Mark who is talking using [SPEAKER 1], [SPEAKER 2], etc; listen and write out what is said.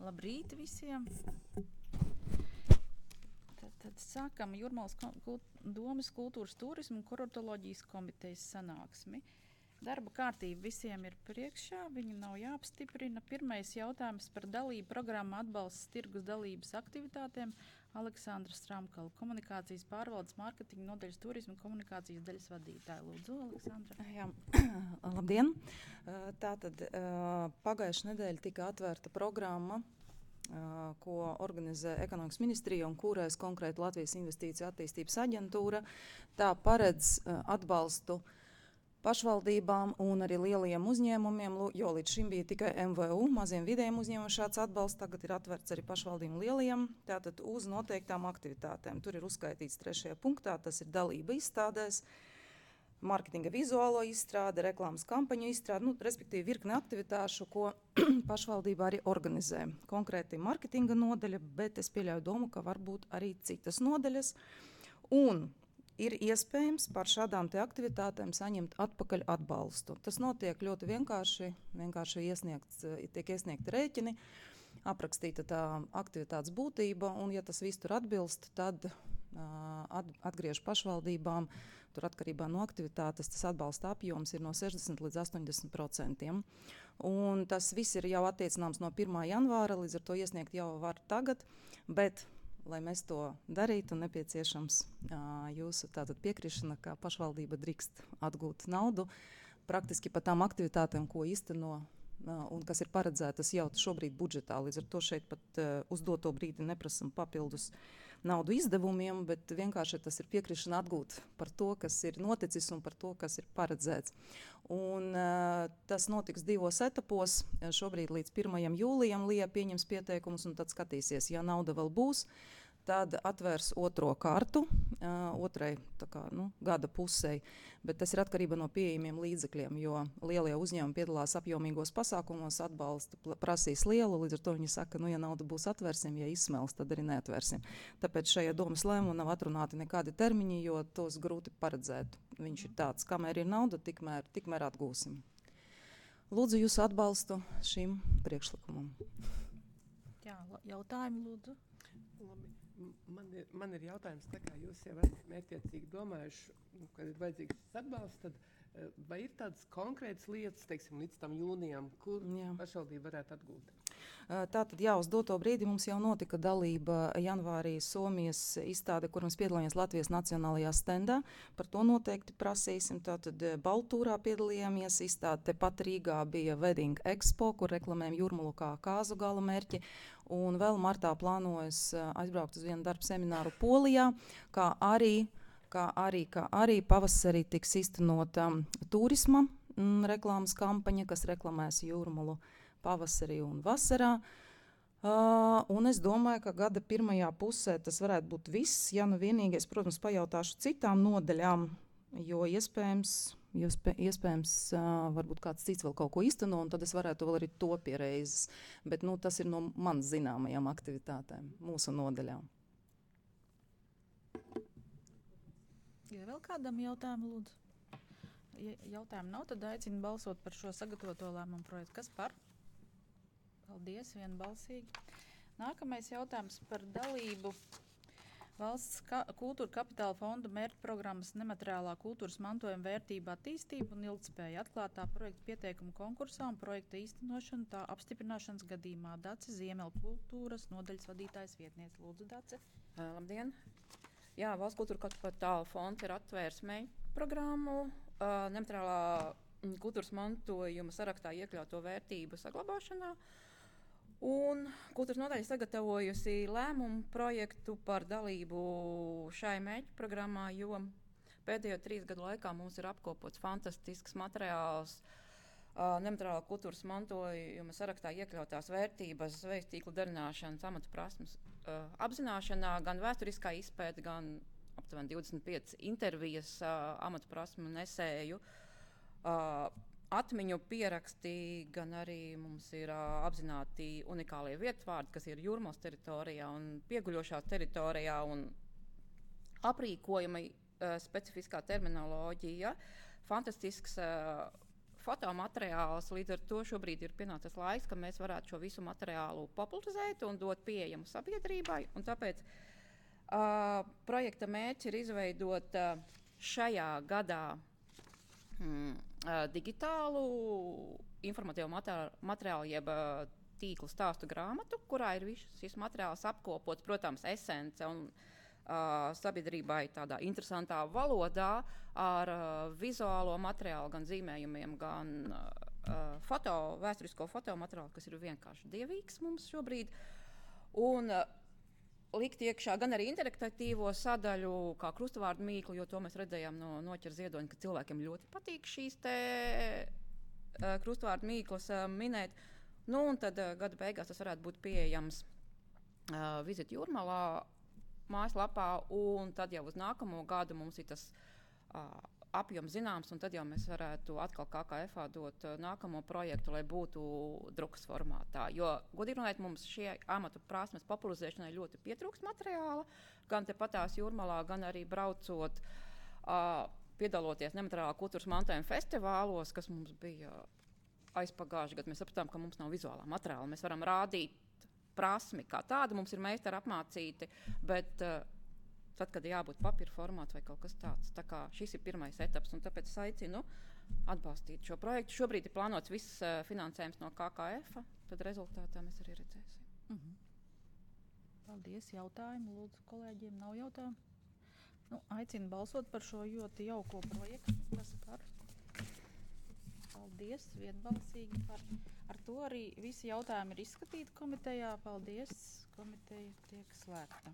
[SPEAKER 1] Labrīt visiem! Tad sākam Jūrmalas domas kultūras turismu un kuratoloģijas komitejas sanāksmi. Darba kārtība visiem ir priekšā, viņu nav jāapstiprina. Pirmais jautājums par dalību programmu atbalsts tirgus dalības aktivitātēm. Aleksandra Stramkala, komunikācijas pārvaldes mārketinga nodaļas turismu un komunikācijas daļas vadītāja. Lūdzu, Aleksandra.
[SPEAKER 2] Jā, labdien! Tātad pagājušajā nedēļā tika atvērta programma, ko organizē Ekonomikas ministrija un kūrēs konkrēti Latvijas Investīciju attīstības aģentūra. Tā paredz atbalstu pašvaldībām un arī lielajiem uzņēmumiem, jo līdz šim bija tikai MVU, maziem vidējiem uzņēmumiem šāds atbalsts, tagad ir atverts arī pašvaldībām lielajiem, tātad uz noteiktām aktivitātēm. Tur ir uzskaitīts 3. punktā, tas ir dalība izstādēs, mārketinga vizuālo izstrāde, reklāmas kampaņu izstrāde, respektīvi virkne aktivitāšu, ko pašvaldība arī organizē. Konkrēti mārketinga nodaļa, bet es pieļauju domu, ka varbūt arī citas nodaļas. Un ir iespējams par šādām te aktivitātēm saņemt atpakaļ atbalstu. Tas notiek ļoti vienkārši tiek iesniegti rēķini, aprakstīta tā aktivitātes būtība, un ja tas viss tur atbilst, tad atgriež pašvaldībām, tur atkarībā no aktivitātes, tas atbalsta apjoms ir no 60 līdz 80%. Un tas viss ir jau attiecināms no 1. janvāra, līdz ar to iesniegt jau var tagad, bet, lai mēs to darītu, nepieciešams jūsu tātad piekrišana, ka pašvaldība drīkst atgūt naudu, praktiski par tām aktivitātēm, ko īsteno un kas ir paredzētas jau šobrīd budžetā. Līdz ar to šeit pat uz doto brīdi neprasam papildus naudu izdevumiem, bet vienkārši tas ir piekrišana atgūt par to, kas ir noticis un par to, kas ir paredzēts. Un tas notiks 2 etapos. Šobrīd līdz 1. jūlijam Lija pieņems pieteikumus un tad skatīsies, ja nauda vēl būs, tad atvērs 2. kārtu, otrai gada pusei, bet tas ir atkarība no pieejamiem līdzekļiem, jo lielie uzņēmumi piedalās apjomīgos pasākumos, atbalstu prasīs lielu, līdz ar to viņi saka, ja nauda būs atvērsim, ja izsmels, tad arī neatvērsim. Tāpēc šajā domas lēmumā nav atrunāti nekādi termiņi, jo tos grūti paredzēt. Viņš ir tāds, kamēr ir nauda, tikmēr atgūsim. Lūdzu jūsu atbalstu šim priekšlikumam.
[SPEAKER 1] Jā, jautājumi lūdzu.
[SPEAKER 3] Labi. Man ir jautājums, tā kā jūs jau esat mērķiecīgi domājuši, kad ir vajadzīgs šis atbalsts, tad vai ir tādas konkrētas lietas, teiksim, līdz tam jūnijam, kur pašvaldība varētu atgūt?
[SPEAKER 2] Tātad, uz doto brīdi mums jau notika dalība janvārī Somijas izstāde, kur mēs piedalījāmies Latvijas nacionālajā stendā. Par to noteikti prasīsim. Tātad Baltūrā piedalījāmies, izstāde tepat Rīgā bija Wedding Expo, kur reklamējam Jūrmalu kā kāzu gala mērķi. Un vēl martā plānojas aizbraukt uz vienu darbu semināru Polijā, kā arī pavasarī tiks īstenota turisma reklāmas kampaņa, kas reklamēs Jūrmalu pavasarī un vasarā. Un es domāju, ka gada pirmajā pusē tas varētu būt viss. Ja nu vienīgais, protams, pajautāšu citām nodaļām, jo iespējams varbūt kāds cits vēl kaut ko īsteno, un tad es varētu vēl arī to piereizes. Bet tas ir no man zināmajām aktivitātēm, mūsu nodaļām.
[SPEAKER 1] Ja vēl kādam jautājumu, lūdzu? Ja jautājumu nav, tad aicinu balsot par šo sagatavoto lēmumu projektu. Kas par? Paldies, vienbalsīgi. Nākamais jautājums par dalību Valsts kultūra kapitāla fonda mērķprogrammas nemateriālā kultūras mantojuma vērtība attīstība un ilgtspēja atklātā projekta pieteikuma konkursā un projekta īstenošana tā apstiprināšanas gadījumā. Dace Ziemeļkultūras nodaļas vadītājas vietniece. Lūdzu, Dace.
[SPEAKER 4] Labdien! Jā, Valsts kultūra kapitāla fonds ir atvērs mērķprogrammu nemateriālā kultūras mantojuma sarakstā iekļauto vērtību saglabāšanā. Un kultūras nodaļa sagatavojusi lēmumu projektu par dalību šai mērķprogrammā, jo pēdējo 3 gadu laikā mums ir apkopots fantastisks materiāls nemateriālā kultūras mantojuma sarakstā iekļautās vērtības, zvejas tīklu darināšanas, amatu prasmes apzināšanā, gan vēsturiskā izpēta, gan aptuveni 25 intervijas amatu prasmu nesēju, atmiņu pieraksti, gan arī mums ir apzināti unikālie vietvārdi, kas ir Jūrmalas teritorijā un pieguļošā teritorijā, un aprīkojumi, specifiskā terminoloģija, fantastisks fotomateriāls. Līdz ar to šobrīd ir pienācis laiks, ka mēs varētu šo visu materiālu popularizēt un dot pieejamu sabiedrībai. Un tāpēc projekta mērķis ir izveidot šajā gadā digitālu informatīvu materiālu, jeb tīklu stāstu grāmatu, kurā ir viss šis materiāls apkopots, protams, esence un sabiedrībai tādā interesantā valodā ar vizuālo materiālu, gan zīmējumiem, gan vēsturisko fotomateriālu, kas ir vienkārši dievīgs mums šobrīd. Un likt iekšā gan arī interaktīvo sadaļu, kā krustvārdu mīklu, jo to mēs redzējām no Noķera Ziedoņa, ka cilvēkiem ļoti patīk šīs te krustvārdu mīklas minēt. Nu, un tad gada beigās tas varētu būt pieejams Visit Jūrmalā mājaslapā, un tad jau uz nākamo gadu mums ir tas apjoms zināms, un tad jau mēs varētu atkal KKF dot nākamo projektu, lai būtu drukas formātā. Jo, godīgi runājot, mums šie amatu prasmes popularizēšanai ļoti pietrūkst materiāla, gan tepatās Jūrmalā, gan arī braucot, piedaloties nemateriālā kultūras mantojuma festivālos, kas mums bija aizpagājuši gadu. Mēs sapratām, ka mums nav vizuālā materiāla. Mēs varam rādīt prasmi kā tādu, mums ir meistari apmācīti, bet tad, kad jābūt papīra formāts vai kaut kas tāds. Tā kā šis ir pirmais etaps, un tāpēc es aicinu atbalstīt šo projektu. Šobrīd ir plānots viss finansējums no KKF, tad rezultātā mēs arī redzēsim.
[SPEAKER 1] Paldies, jautājumu. Lūdzu, kolēģiem nav jautājumu. Nu, aicinu balsot par šo ļoti jauko projektu. Kas par? Paldies, vienbalsīgi par. Ar to arī visi jautājumi ir izskatīti komitejā. Paldies, komiteja tiek slēgta.